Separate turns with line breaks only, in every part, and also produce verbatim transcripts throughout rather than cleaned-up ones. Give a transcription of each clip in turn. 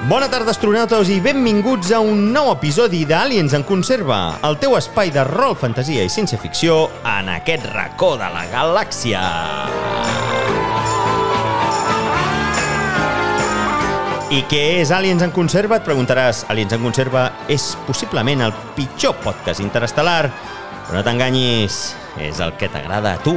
Bona tarda, astronautes, i benvinguts a un nou episodi d'Aliens en Conserva, el teu espai de rol, fantasia i ciència-ficció en aquest racó de la galàxia. I què és Aliens en Conserva? Et preguntaràs. Aliens en Conserva és possiblement el pitjor podcast interestel·lar, però no t'enganyis, és el que t'agrada a tu.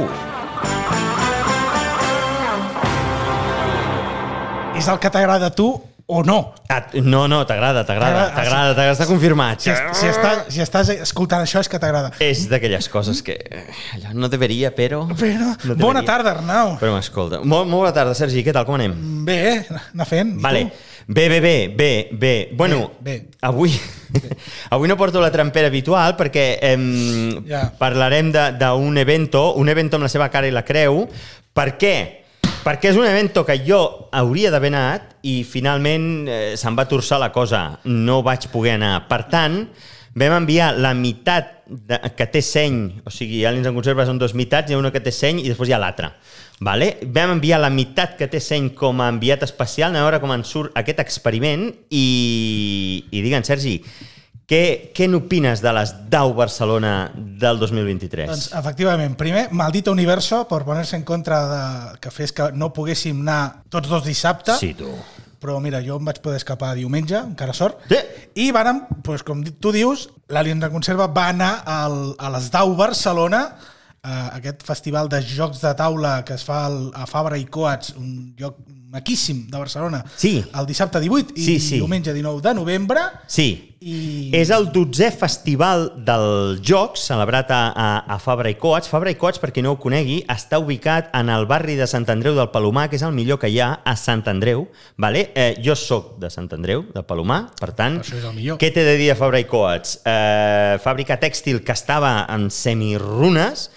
És el que t'agrada a tu o no?
Ah, no, no, t'agrada, t'agrada, t'agrada, t'agrada, està confirmat.
Si, si, estàs, si estàs escoltant això és que t'agrada.
És d'aquelles coses que allò no deveria, però...
però
no
bona tarda, Arnau.
Però m'escolta. Molt, molt bona tarda, Sergi, què tal, com anem?
Bé, anar fent.
Vale. Bé, bé, bé, bé, bé. Bueno,
bé, bé.
avui... Avui no porto la trampera habitual perquè eh,
ja.
parlarem d'un evento, un evento amb la seva cara i la creu. Per què? Perquè és un evento que jo hauria d'haver anat i finalment eh, se'm va torçar la cosa. No vaig poder anar. Per tant, vam enviar la meitat de, que té seny, o sigui, Aliens en Conserva són dos meitats, hi ha una que té seny i després hi ha l'altra. Vale? Vam enviar la meitat que té seny com a enviat especial, anem a veure com en surt aquest experiment i, i digue'm, Sergi, Què, què n'opines de les D A U Barcelona del dos mil vint-i-tres?
Doncs, efectivament, primer, maldito universo per poner-se en contra de que fes que no poguéssim anar tots dos dissabte.
Sí, tu.
Però mira, jo em vaig poder escapar diumenge, encara sort.
Sí.
I vàrem, doncs, com tu dius, l'Aliens en Conserva va anar al, a les D A U Barcelona, a aquest festival de jocs de taula que es fa al, a Fabra i Coats, un lloc maquíssim de Barcelona,
sí.
el dissabte divuit i
sí, sí.
diumenge dinou de novembre.
Sí,
i...
és el dotzè festival dels jocs celebrat a, a, a Fabra i Coats. Fabra i Coats, per qui no ho conegui, està ubicat en el barri de Sant Andreu del Palomar, que és el millor que hi ha a Sant Andreu. Vale? Eh, jo sóc de Sant Andreu, del Palomar, per tant,
això és el millor.
Què t'he de dir a Fabra i Coats? Eh, fàbrica tèxtil que estava en semirunes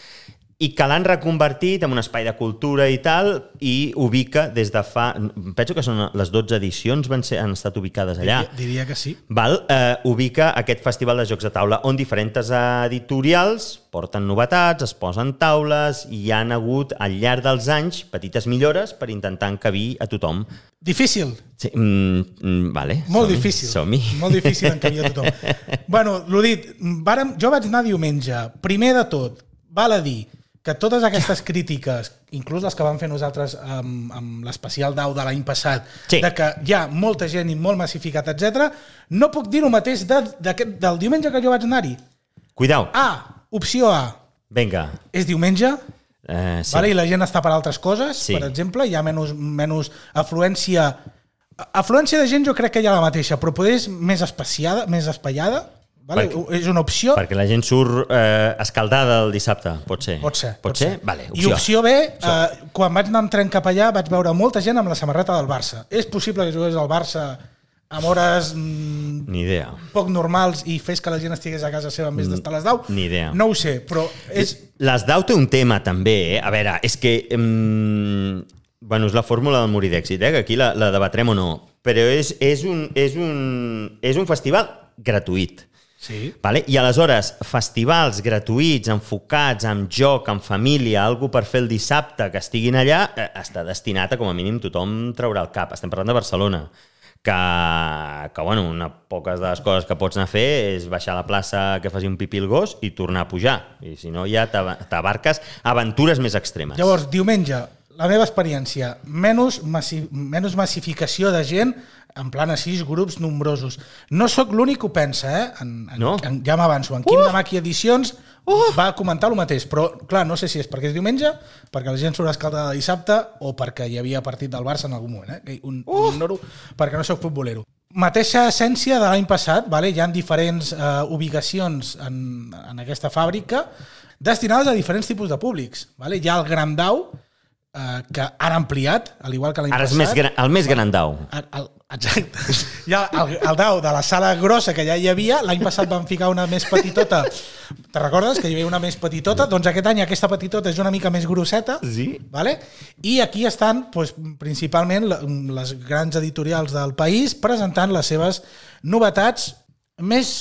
i que l'han reconvertit en un espai de cultura i tal, i ubica des de fa... Penso que són les dotze edicions van ser, han estat ubicades allà.
Diria, diria que sí.
Val? Eh, ubica aquest festival de jocs de taula on diferents editorials porten novetats, es posen taules i hi ha hagut al llarg dels anys petites millores per intentar encabir a tothom.
Difícil.
Sí, mm, vale.
Molt
som-hi,
difícil.
Som-hi.
Molt difícil encabir a tothom. Bueno, l'ho dit, vàrem, jo vaig anar diumenge. Primer de tot, val a dir que totes aquestes crítiques, inclús les que vam fer nosaltres amb, amb l'especial D A U de l'any passat,
sí.
de que hi ha molta gent i molt massificat, etcètera, no puc dir el mateix de, de, del diumenge que jo vaig anar-hi.
Cuidao.
A, opció A.
Vinga.
És diumenge,
eh, sí.
vale? I la gent està per altres coses,
sí.
per exemple, hi ha menys, menys afluència. Afluència de gent jo crec que hi ha la mateixa, però poder és més espaciada, més espaiada. Vale?
Perquè,
és una opció.
Perquè la gent surt eh, escaldada el dissabte, pot ser.
Pot ser.
Pot, pot ser? ser? Vale,
opció. I opció B, eh, quan vaig anar amb tren cap allà vaig veure molta gent amb la samarreta del Barça. És possible que jugués al Barça amb hores mm,
ni idea.
Poc normals i fes que la gent estigués a casa seva en vez d'estar a les D A U?
Ni idea.
No ho sé, però és...
Les D A U té un tema també, eh? A veure, és que... Mm, bueno, és la fórmula del morir d'èxit, eh? Que aquí la, la debatrem o no. Però és, és, un, és, un, és un festival gratuït.
Sí.
Vale? I aleshores, festivals gratuïts, enfocats en joc, en família, algú per fer el dissabte que estiguin allà, eh, està destinat a, com a mínim, tothom traurà el cap. Estem parlant de Barcelona, que, que bueno, una poques de les coses que pots anar a fer és baixar a la plaça que faci un pipí el gos i tornar a pujar. I si no, ja t'abarques aventures més extremes.
Llavors, diumenge, la meva experiència, menys, massi, menys massificació de gent, en plan a sis grups nombrosos. No sóc l'únic que ho pensa, eh? En, en,
no?
en, ja m'avanço. En Quim uh! de Maqui Edicions uh! va comentar el mateix, però clar, no sé si és perquè és diumenge, perquè la gent surt escaldada de dissabte o perquè hi havia partit del Barça en algun moment. Eh? Un, uh! un ignoro perquè no sóc futbolero. Mateixa essència de l'any passat, vale? Hi ha diferents uh, ubicacions en, en aquesta fàbrica destinades a diferents tipus de públics. Vale? Hi ha el Gran D A U, uh, que han ampliat, al igual que l'any passat.
Ara és més gran, el més gran D A U.
El, el, exacte. Hi ha el, el D A U de la sala grossa que ja hi havia, l'any passat van ficar una més petitota. Te recordes que hi havia una més petitota? Doncs aquest any aquesta petitota és una mica més grosseta.
Sí.
Vale? I aquí estan doncs, principalment les grans editorials del país presentant les seves novetats més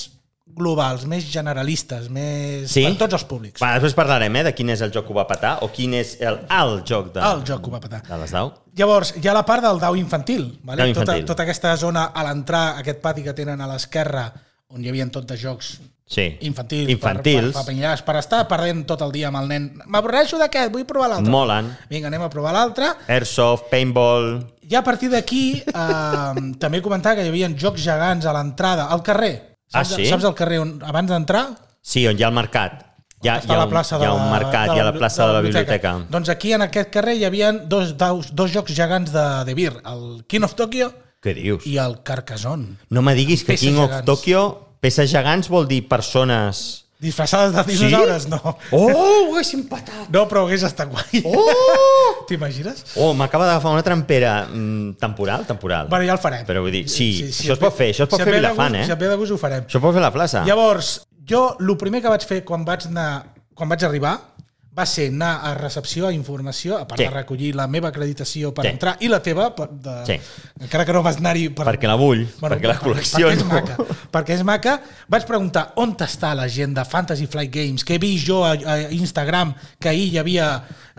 globals, més generalistes, més...
Sí?
per tots els públics.
Va, després parlarem eh, de quin és el joc que ho va petar o quin és el, el joc de,
el joc que ho va petar.
de les dau.
Llavors, hi ha la part del dau infantil. Vale?
Dau infantil.
Tota, tota aquesta zona a l'entrar, aquest pati que tenen a l'esquerra, on hi havia tot de jocs
sí.
infantils,
infantils.
Per, per, per, per estar perdent tot el dia amb el nen. M'avorreixo d'aquest, vull provar l'altre.
Molen.
Vinga, anem a provar l'altre.
Airsoft, paintball...
I a partir d'aquí, eh, també comentar que hi havia jocs gegants a l'entrada, al carrer. Saps,
Ah, sí?
Saps el carrer on, abans d'entrar?
Sí, on hi ha el mercat. Hi ha, hi ha,
la
un,
plaça
hi ha
de
un mercat, hi ha la plaça de la biblioteca.
Doncs aquí, en aquest carrer, hi havia dos, dos, dos jocs gegants de, de Beer, el King of Tokyo
Què dius?
i el Carcassonne.
No me diguis que
Peces
King of
gegants.
Tokyo, peces gegants vol dir persones...
Disfressades de dinosaures,
Sí?
no.
Oh, ho haguéssim patat!
No, però hagués estat guai.
Oh!
T'imagines?
Oh, m'acaba d'agafar una trampera mm, temporal, temporal.
Bueno, ja el farem.
Però vull dir, sí,
si
això es pot fer, això es pot
si et
fer
ve de
Vilafant,
gust-
eh?
Si et ve de gust ho farem.
Això es pot fer a la plaça.
Llavors, jo, el primer que vaig fer quan vaig anar, quan vaig arribar, va ser anar a recepció, a informació, a part
Sí.
de recollir la meva acreditació per
Sí.
entrar, i la teva, per, de,
Sí.
encara que no vas anar-hi... Per,
Perquè la vull, perquè la col·lecciono.
Perquè és maca. Perquè és maca. Vaig preguntar on està la gent de Fantasy Flight Games, que he vist jo a, a Instagram, que ahir hi havia...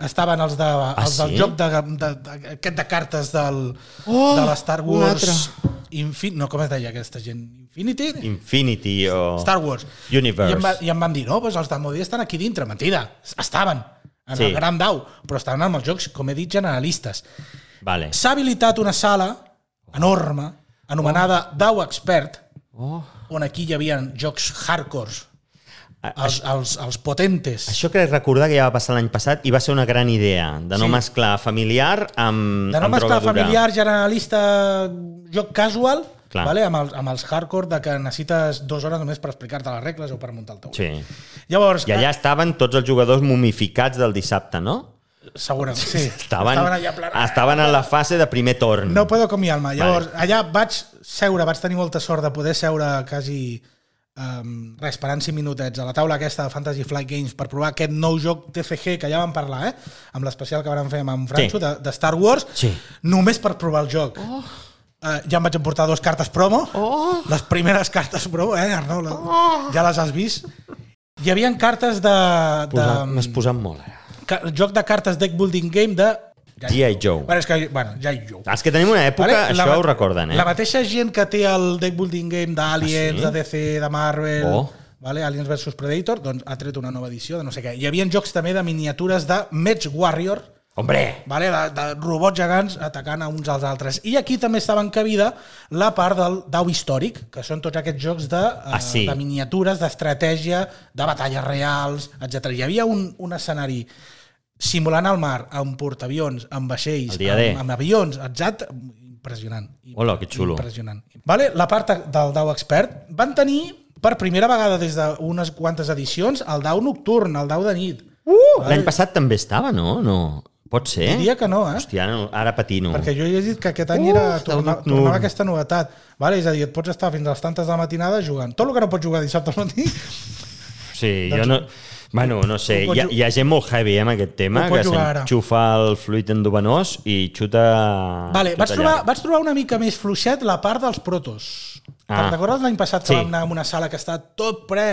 Estaven els, de, els
sí?
del joc de, de, de, aquest de cartes del,
Oh,
de la Star
un
Wars...
altre.
Infin, no, com es deia aquesta gent? Infinity?
Infinity o...
Star Wars.
Universe.
I em, va, i em van dir, no, doncs els de Modi estan aquí dintre. Mentida, estaven en
Sí.
el Gran Dau, però estaven amb els jocs, com he dit, generalistes.
Vale.
S'ha habilitat una sala enorme, anomenada oh. Dau Expert,
Oh.
on aquí hi havia jocs hardcores,
A-
els, els, els potentes.
Això crec recordar que ja va passar l'any passat i va ser una gran idea, de no
Sí.
mesclar familiar amb,
De no
amb
mesclar
droga dura.
familiar, generalista, joc casual,
Clar.
vale? amb, els, amb els hardcore de que necessites dues hores només per explicar-te les regles o per muntar el tauler.
Sí.
Llavors,
I allà estaven tots els jugadors momificats del dissabte, no?
segurament, sí.
Estaven,
allà en plan,
estaven en la fase de primer torn.
no puedo con mi alma. Llavors,
Vale.
allà vaig seure, vaig tenir molta sort de poder seure quasi um, res, esperant cinc minutets a la taula aquesta de Fantasy Flight Games per provar aquest nou joc T F G que ja vam parlar, eh? Amb l'especial que vam fer amb en Francho,
Sí.
de, de Star Wars,
Sí.
només per provar el joc. Oh. Uh, ja em vaig emportar dues cartes promo,
Oh.
les primeres cartes promo, eh, Arnau? La, oh. Ja les has vist. Hi havia cartes de... de
M'has posat molt, ara.
ca, joc de cartes deck building game de...
G I. Joe.
Bueno, és que, bueno, G I. Joe.
Els que tenim una època,
Vale?
això
La-
ho recorden, eh?
La mateixa gent que té el deck building game d'Aliens,
Ah, sí?
de D C, de Marvel,
Oh.
vale? Aliens versus Predator, doncs ha tret una nova edició de no sé què. Hi havia jocs també de miniatures de Mech Warrior,
Hombre!
vale? de, de robots gegants atacant a uns als altres. I aquí també estava encabida la part del dau històric, que són tots aquests jocs de,
Ah, sí?
de miniatures, d'estratègia, de batalles reals, etcètera. Hi havia un, un escenari simulant el mar, amb portaavions, amb vaixells,
El dia D.
amb, amb avions, exacte, impressionant.
Hola, que xulo.
Impressionant. Vale, la part del Dau Expert van tenir per primera vegada des d'unes quantes edicions el Dau Nocturn, el Dau de nit.
Uh, L'any passat també estava, no? No. Pot ser?
Diria que no, eh?
Hòstia, no, ara patino.
Perquè jo he dit que aquest any
Uh,
era,
Dau
tornava,
Nocturn.
tornava aquesta novetat. Vale? És a dir, et pots estar fins a les tantes de la matinada jugant. Tot el que no pots jugar dissabte al matí,
Sí, jo no... Bueno, no sé,
Ho pots
hi ha,
ju-
hi ha gent molt heavy eh, amb aquest tema,
Ho pots
que
jugar ara.
s'enxufa el fluid endovenós i xuta...
vale,
xuta
vaig, trobar,
llarg.
vaig trobar una mica més fluixet la part dels protos.
Ah.
Ah. Recordes l'any passat que
Sí.
vam anar a una sala que està tot ple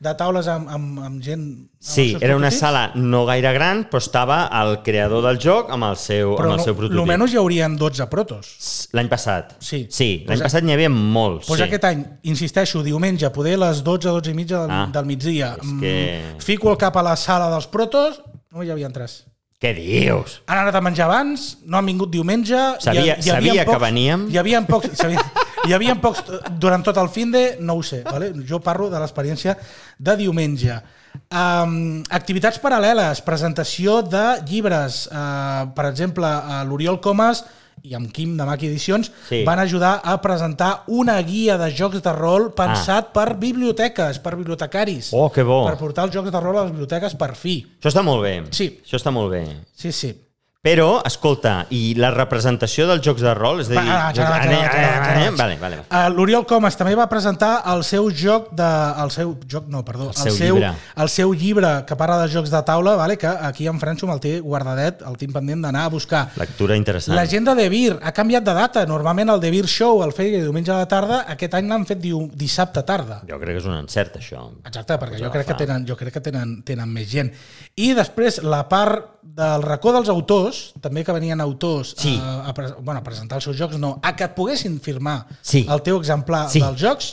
de taules amb, amb, amb gent... amb
Sí,
els seus
era una
prototips?
sala no gaire gran, però estava el creador del joc amb el seu,
Però
amb el seu
no,
prototip.
almenys hi haurien dotze protos.
L'any passat.
Sí.
Sí, l'any
Pues a-
passat n'hi havia molts.
Doncs
sí.
aquest any, insisteixo, diumenge, poder a les dotze, dotze i mitja del,
Ah,
del migdia.
és que-
Mm, fico el cap a la sala dels protos, no hi havia tres.
Què dius?
Han anat a menjar abans, no han vingut diumenge...
Sabia-
hi, hi havia
sabia que
pocs,
veníem.
Hi havia pocs, sabia, hi havia pocs durant tot el fin de, no ho sé, vale? Jo parlo de l'experiència de diumenge. Um, activitats paral·leles, presentació de llibres, uh, per exemple, uh, l'Oriol Comas i amb Quim de Maki Edicions
Sí.
van ajudar a presentar una guia de jocs de rol pensat ah. per biblioteques, per bibliotecaris,
Oh, que bo.
per portar els jocs de rol a les biblioteques per fi.
Això està molt bé.
Sí.
Això està molt bé.
Sí, sí.
Però, escolta, i la representació dels jocs de rol, és a dir...
Ah, ja, ja, ja, ja, ja, ja.
Vale, vale.
Uh, L'Oriol Comas també va presentar el seu joc de... El seu joc, no, perdó.
El seu, el seu llibre.
El seu llibre que parla de jocs de taula, vale, que aquí en Franxo me'l té guardadet, el tinc pendent d'anar a buscar.
Lectura interessant.
L'agenda de Beer ha canviat de data. Normalment el de Beer Show el feia diumenge a la tarda, aquest any l'han fet diu, dissabte tarda.
Jo crec que és un encert, això.
Exacte, perquè jo crec que tenen, jo crec que tenen, tenen més gent. I després la part del racó dels autors, també que venien autors
sí.
a, a, bueno, a presentar els seus jocs, no, a que et poguessin firmar
sí.
el teu exemplar
sí.
dels jocs,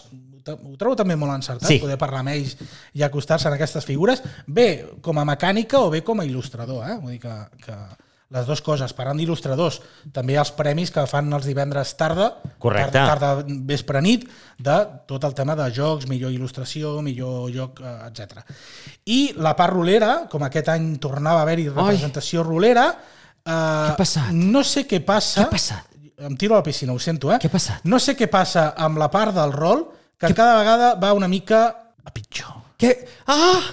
ho trobo també molt encertat,
sí.
poder parlar amb ells i acostar-se en aquestes figures, bé com a mecànica o bé com a il·lustrador, eh? Vull dir que, que les dues coses. Parlant d'il·lustradors, també hi ha els premis que fan els divendres tarda,
correcte,
tarda, tarda vespre nit, de tot el tema de jocs, millor il·lustració, millor joc, etcètera. I la part rolera, com aquest any tornava a haver-hi representació Oi. rolera, eh,
què ha passat?
No sé què passa...
Què ha passat?
Em tiro a la piscina, ho sento, eh?
Què ha passat?
No sé què passa amb la part del rol, que què? cada vegada va una mica a pitjor.
Què? Ah!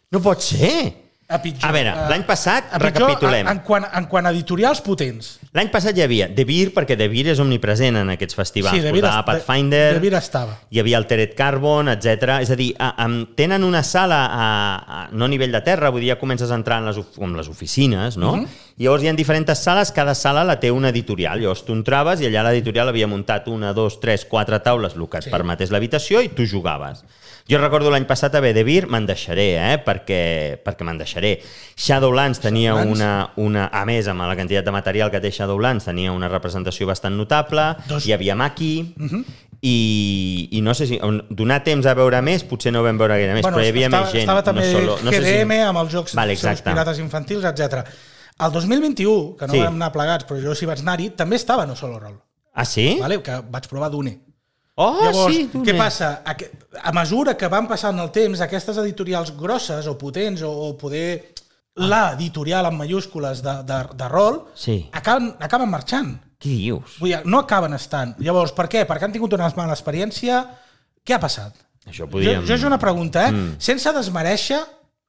No pot ser!
A pitjor.
A veure, l'any passat,
a
recapitulem.
En, en, quant, en quant a editorials potents.
L'any passat hi havia De Beer, perquè De Beer és omnipresent en aquests festivals.
Sí, De Beer,
Pathfinder,
De Beer estava.
Hi havia Altered Carbon, etcètera. És a dir, a, a, tenen una sala a, a, no a nivell de terra, vull dir, ja comences a entrar en les, com les oficines, no? Uh -huh. I llavors hi ha diferents sales, cada sala la té una editorial. Llavors tu entraves i allà l'editorial havia muntat una, dos, tres, quatre taules, el que et sí. permetés l'habitació, i tu jugaves. Jo recordo l'any passat a De Beer, me'n deixaré, eh? perquè, perquè me'n deixaré. Shadowlands tenia Shadowlands. Una, una... A més, amb la quantitat de material que té Shadowlands, tenia una representació bastant notable. Dos. Hi havia Maki, uh -huh. i, i no sé si... Donar temps a veure més, potser no vam veure gaire més, bueno, però hi havia
estava,
més gent.
Estava també
no solo, no
G D M
sé si...
amb els jocs
vale,
els pirates infantils, etcètera. El dos mil vint-i-u, que no sí. vam anar plegats, però jo sí vaig anar-hi, també estava No Solo Roll.
Ah, sí?
Vale? Que vaig provar Dune.
Oh,
Llavors,
sí,
què passa? A, a mesura que van passant el temps, aquestes editorials grosses o potents o, o poder la editorial en mayúscules de, de, de rol
sí.
acaben, acaben marxant.
Què dius?
Vull dir, no acaben estant. Llavors, per què? Perquè han tingut una mala experiència. Què ha passat?
Això podíem...
Jo, jo és una pregunta, eh? Mm. Sense desmereixer,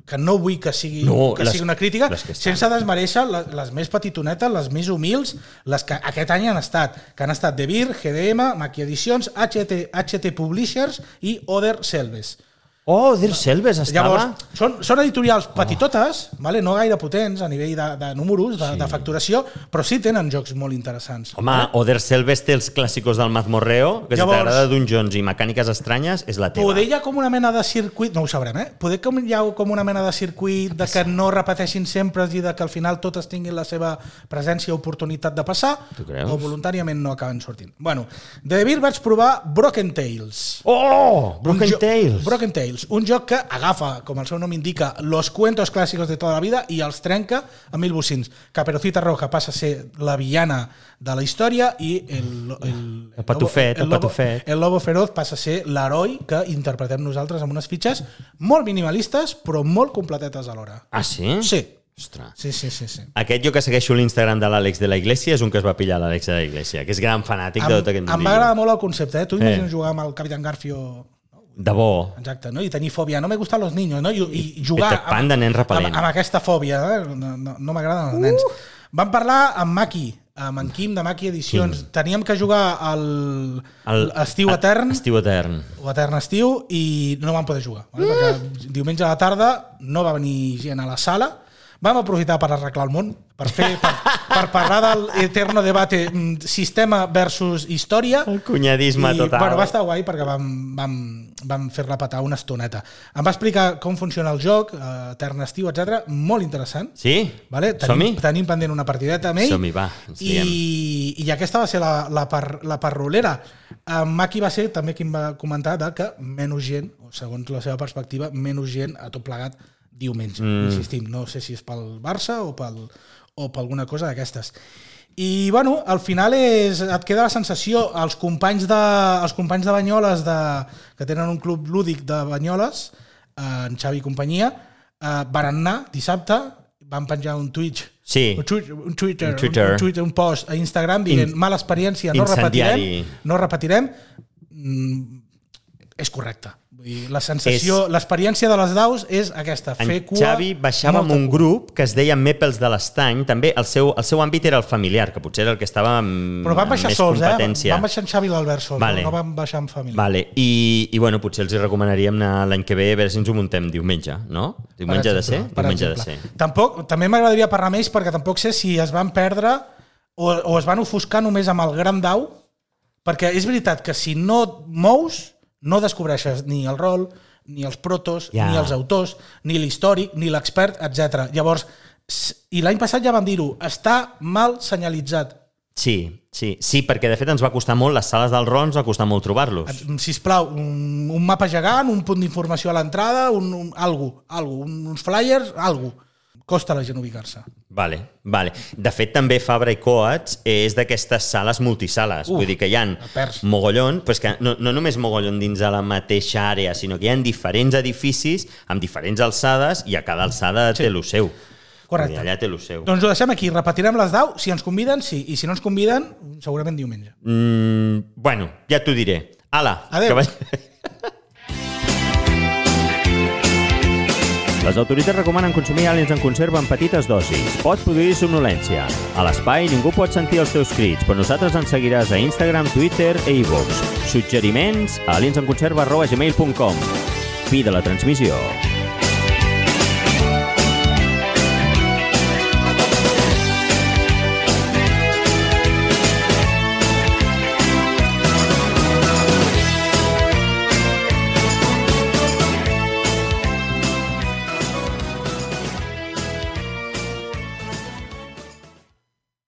que no vull que sigui,
no,
que
les,
sigui una crítica, sense desmereixer les, les més petitonetes, les més humils, les que aquest any han estat, que han estat De Beer, G D M, Maki Edicions, H T, H T Publishers i Oder Selves.
Oh, Oder Selves estava...
Llavors, són, són editorials petitotes, oh. vale? No gaire potents a nivell de, de números, de, sí. de facturació, però sí tenen jocs molt interessants.
Home, vale? Oder Selves té els clàssicos del Mazmorreo, que Llavors, si t'agrada Dungeons i mecàniques estranyes, és la teva.
Poder hi ha com una mena de circuit, no ho sabrem, eh? Poder com hi ha com una mena de circuit de que no repeteixin sempre i de que al final totes tinguin la seva presència o oportunitat de passar, o voluntàriament no acaben sortint. Bueno, de De Beer vaig provar Broken Tales.
Oh, Broken Tales.
Broken Tales. Un joc que agafa, com el seu nom indica, los cuentos clàssicos de tota la vida i els trenca a mil bocins. Caperucita Roja passa a ser la villana de la història i el, el,
el patufet, el,
el, lobo,
patufet.
el lobo feroz passa a ser l'heroi que interpretem nosaltres amb unes fitxes molt minimalistes però molt completetes alhora.
Ah, sí?
Sí.
Ostres.
Sí, sí, sí, sí.
Aquest jo que segueixo l'Instagram de l'Àlex de la Iglesia és un que es va pillar l'Àlex de la Iglesia, que és gran fanàtic
em,
de tot aquest mundillo.
Em va agradar molt el concepte, eh? Tu imagines eh. jugar amb el Capitán Garfio...
De bo.
Exacte, no? I tenir fòbia. No me gustan los niños, no? I, i jugar
Peter Pan de nen repel·lent.
Amb, amb aquesta fòbia. Eh? No, no, no m'agraden els nens. Uh. Vam parlar amb Maki, amb en Quim de Maki Edicions. Quim. Teníem que jugar al el, Estiu Etern.
Estiu Etern.
O Etern Estiu i no vam poder jugar. Vale? Uh. Perquè diumenge a la tarda no va venir gent a la sala. Vam aprofitar per arreglar el món, per fer per, per parlar del eterno debate sistema versus història.
El cunyadisme
I,
total.
Bueno, va estar guai perquè vam, vam, vam fer-la petar una estoneta. Em va explicar com funciona el joc, eh, Etern Estiu, etcètera. Molt interessant.
Sí?
Vale? Tenim, tenim pendent una partideta amb ell.
Som-hi, va.
I, I aquesta va ser la, la, part, la part rolera. En Maki va ser també qui em va comentar de que menys gent, o segons la seva perspectiva, menys gent a tot plegat diumenge, mm. insistim, no sé si és pel Barça o pel, o per alguna cosa d'aquestes. I, bueno, al final és, et queda la sensació, els companys de, els companys de Banyoles, de, que tenen un club lúdic de Banyoles, en Xavi i companyia, eh, van anar dissabte, van penjar un Twitch,
sí.
un, Twitter, un, Twitter,
un, Twitter.
Un, Twitter, un post a Instagram dient, In, mala experiència, no repetirem, no repetirem, és correcte. Vull dir, la sensació, és... l'experiència de les daus és aquesta, fer
en
cua...
Xavi baixava amb un cua. grup que es deia Mèpels de l'Estany, també el seu, el seu àmbit era el familiar, que potser era el que estava amb,
Però van baixar
amb més
sols,
competència.
Eh? Van baixar en Xavi i l'Albert sols,
vale.
no van baixar en família.
Vale. I, i bueno, potser els hi recomanaríem anar l'any que ve a veure si ens ho muntem diumenge, no? Diumenge ha de ser? Diumenge ha de ser.
Tampoc, també m'agradaria parlar amb ells perquè tampoc sé si es van perdre o, o es van ofuscar només amb el gran dau, perquè és veritat que si no et mous no descobreixes ni el rol, ni els protos, ja. ni els autors, ni l'històric, ni l'expert, etcètera. Llavors, i l'any passat ja van dir-ho, està mal senyalitzat.
Sí, sí, sí, perquè de fet ens va costar molt, les sales del rol ens va costar molt trobar-los.
Sisplau, un, un mapa gegant, un punt d'informació a l'entrada, un, un, algo, algo, uns flyers, algo. Costa a la gent ubicar-se.
Vale, vale. De fet, també Fabra i Coats és d'aquestes sales multisales. Uf, vull dir que hi ha mogollon, però és que no, no només mogollon dins de la mateixa àrea, sinó que hi ha diferents edificis amb diferents alçades i a cada alçada sí. té lo seu.
Correcte.
Allà té lo seu.
Doncs ho deixem aquí. Repetirem les dau. Si ens conviden, sí. I si no ens conviden, segurament diumenge.
Mm, bueno, ja t'ho diré. Ala.
Adéu.
Que vaig...
Les autoritats recomanen consumir àliens en conserva en petites dosis. Pot produir somnolència. A l'espai ningú pot sentir els teus crits, però nosaltres ens seguiràs a Instagram, Twitter e iVoox. Suggeriments a aliensenconserva arroba gmail punt com. Fi de la transmissió.